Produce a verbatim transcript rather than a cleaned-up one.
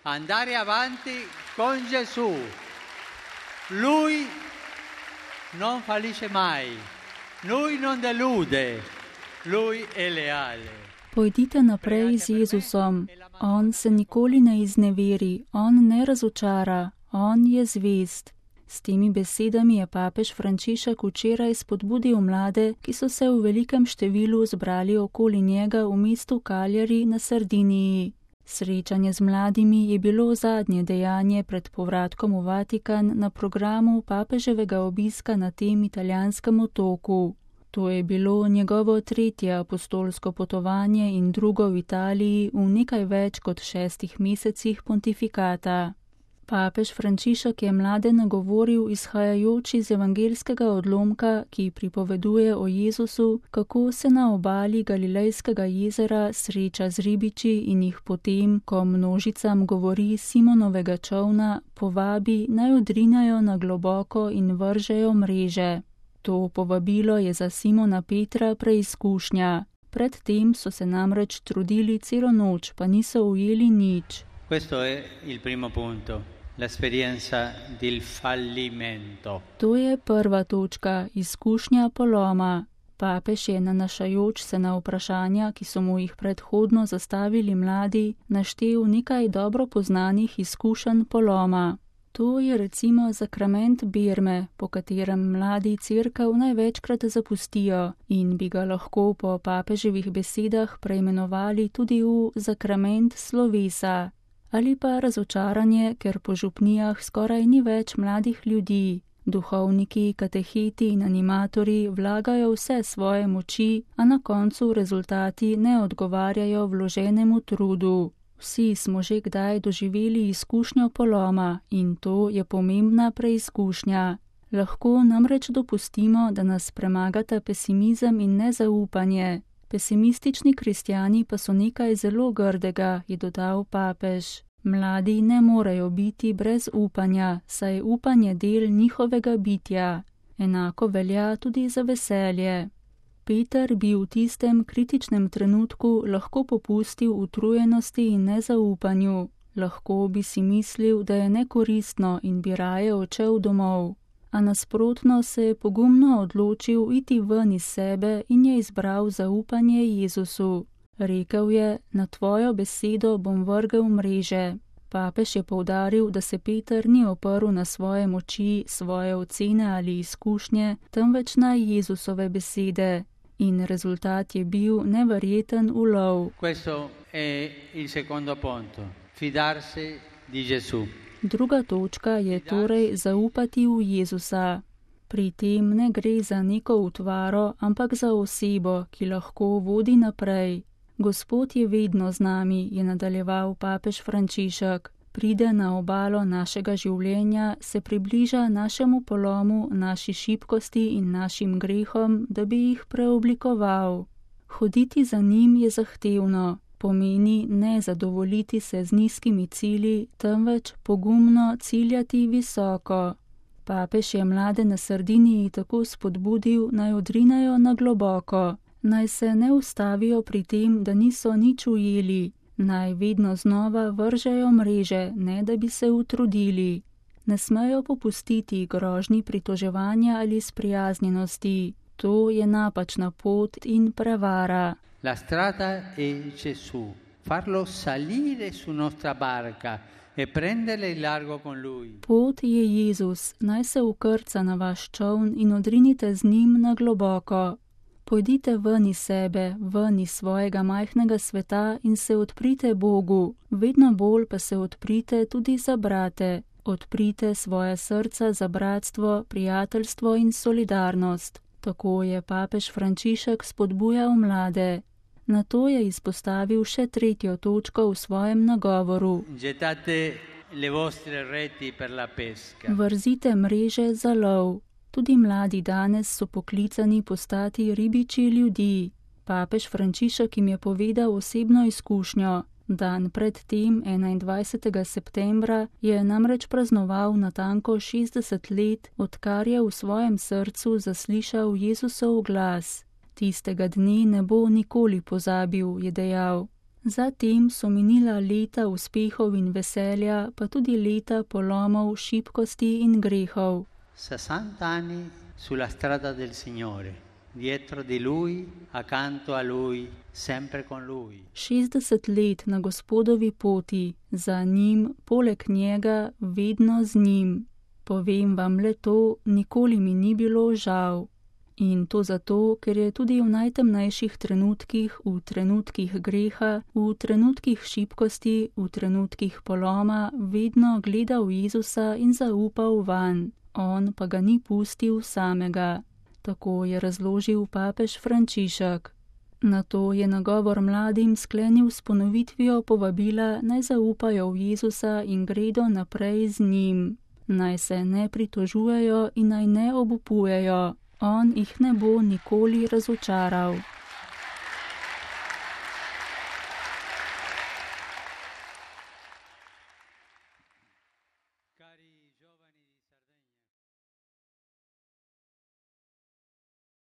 andare avanti con Gesù. Lui non fallisce mai, lui non delude, lui è leale. Pojdite naprej z Jezusom. On se nikoli ne izneveri, on ne razočara, on je zvest. S temi besedami je papež Frančišek včeraj spodbudil mlade, ki so se v velikem številu zbrali okoli njega v mestu Cagliari na Sardiniji. Srečanje z mladimi je bilo zadnje dejanje pred povratkom v Vatikan na programu papeževega obiska na tem italijanskem otoku. To je bilo njegovo tretje apostolsko potovanje in drugo v Italiji v nekaj več kot šestih mesecih pontifikata. Papež Frančišek je mlade nagovoril izhajajoč iz evangeljskega odlomka, ki pripoveduje o Jezusu, kako se na obali Galilejskega jezera sreča z ribiči in jih potem, ko množicam govori Simonovega čolna, povabi naj odrinajo na globoko in vržejo mreže. To povabilo je za Simona Petra preizkušnja. Pred tem so se namreč trudili celo noč, pa niso ujeli nič. Questo è il primo punto, l'esperienza del fallimento. To je prva točka, izkušnja poloma. Papež je nanašajoč se na vprašanja, ki so mu jih predhodno zastavili mladi, naštel nekaj dobro poznanih izkušenj poloma. To je recimo zakrament birme, po katerem mladi cerkev največkrat zapustijo in bi ga lahko po papeževih besedah preimenovali tudi v zakrament slovesa. Ali pa razočaranje, ker po župnijah skoraj ni več mladih ljudi. Duhovniki, kateheti in animatorji vlagajo vse svoje moči, a na koncu rezultati ne odgovarjajo vloženemu trudu. Vsi smo že kdaj doživeli izkušnjo poloma in to je pomembna preizkušnja. Lahko namreč dopustimo, da nas premagata pesimizem in nezaupanje. Pesimistični kristjani pa so nekaj zelo grdega, je dodal papež. Mladi ne morejo biti brez upanja, saj je upanje del njihovega bitja. Enako velja tudi za veselje. Peter bi v tistem kritičnem trenutku lahko popustil utrujenosti in nezaupanju. Lahko bi si mislil, da je nekoristno in bi raje odšel domov. A nasprotno se je pogumno odločil iti ven iz sebe in je izbral zaupanje Jezusu. Rekel je, na tvojo besedo bom vrgel mreže. Papež je poudaril, da se Peter ni oprl na svoje moči, svoje ocene ali izkušnje, temveč na Jezusove besede. In rezultat je bil neverjeten ulov. Questo è il secondo punto, fidarsi di Gesù. Druga točka je torej zaupati v Jezusa. Pri tem ne gre za neko utvaro, ampak za osebo, ki lahko vodi naprej. Gospod je vedno z nami, je nadaljeval papež Frančišek. Pride na obalo našega življenja, se približa našemu polomu, naši šibkosti in našim grehom, da bi jih preoblikoval. Hoditi za njim je zahtevno, pomeni ne zadovoljiti se z nizkimi cilji, temveč pogumno ciljati visoko. Papež je mlade na Sardiniji tako spodbudil, naj odrinajo na globoko, naj se ne ustavijo pri tem, da niso nič ujeli, naj vedno znova vržejo mreže, ne da bi se utrudili. Ne smejo popustiti grožnji pritoževanja ali sprijaznjenosti. To je napačna pot in prevara. La strada è Gesù. Farlo salire su nostra barca e prendere il largo con lui. Pot je Jezus, naj se ukrca na vaš čoln in odrinite z njim na globoko. Pojdite ven iz sebe, ven iz svojega majhnega sveta in se odprite Bogu, vedno bolj pa se odprite tudi za brate. Odprite svoje srca za bratstvo, prijateljstvo in solidarnost. Tako je papež Frančišek spodbujal mlade. Nato je izpostavil še tretjo točko v svojem nagovoru. Vrzite mreže za lov. Tudi mladi danes so poklicani postati ribiči ljudi. Papež Frančišek jim je povedal osebno izkušnjo. Dan pred tem, enaindvajsetega septembra, je namreč praznoval natanko šestdeset let, odkar je v svojem srcu zaslišal Jezusov glas. Tistega dne ne bo nikoli pozabil, je dejal. Zatem so minila leta uspehov in veselja, pa tudi leta polomov, šibkosti in grehov. sessanta anni sulla strada del Signore, dietro di Lui, accanto a Lui, sempre con Lui. šestdeset let na Gospodovi poti, za njim, poleg njega, vedno z njim. Povem vam le to, nikoli mi ni bilo žal. In to zato, ker je tudi v najtemnejših trenutkih, v trenutkih greha, v trenutkih šibkosti, v trenutkih poloma, vedno gledal Jezusa in zaupal vanj. On pa ga ni pustil samega. Tako je razložil papež Frančišek. Nato je nagovor mladim sklenil s ponovitvijo povabila, naj zaupajo v Jezusa in gredo naprej z njim. Naj se ne pritožujejo in naj ne obupujejo. On jih ne bo nikoli razočaral.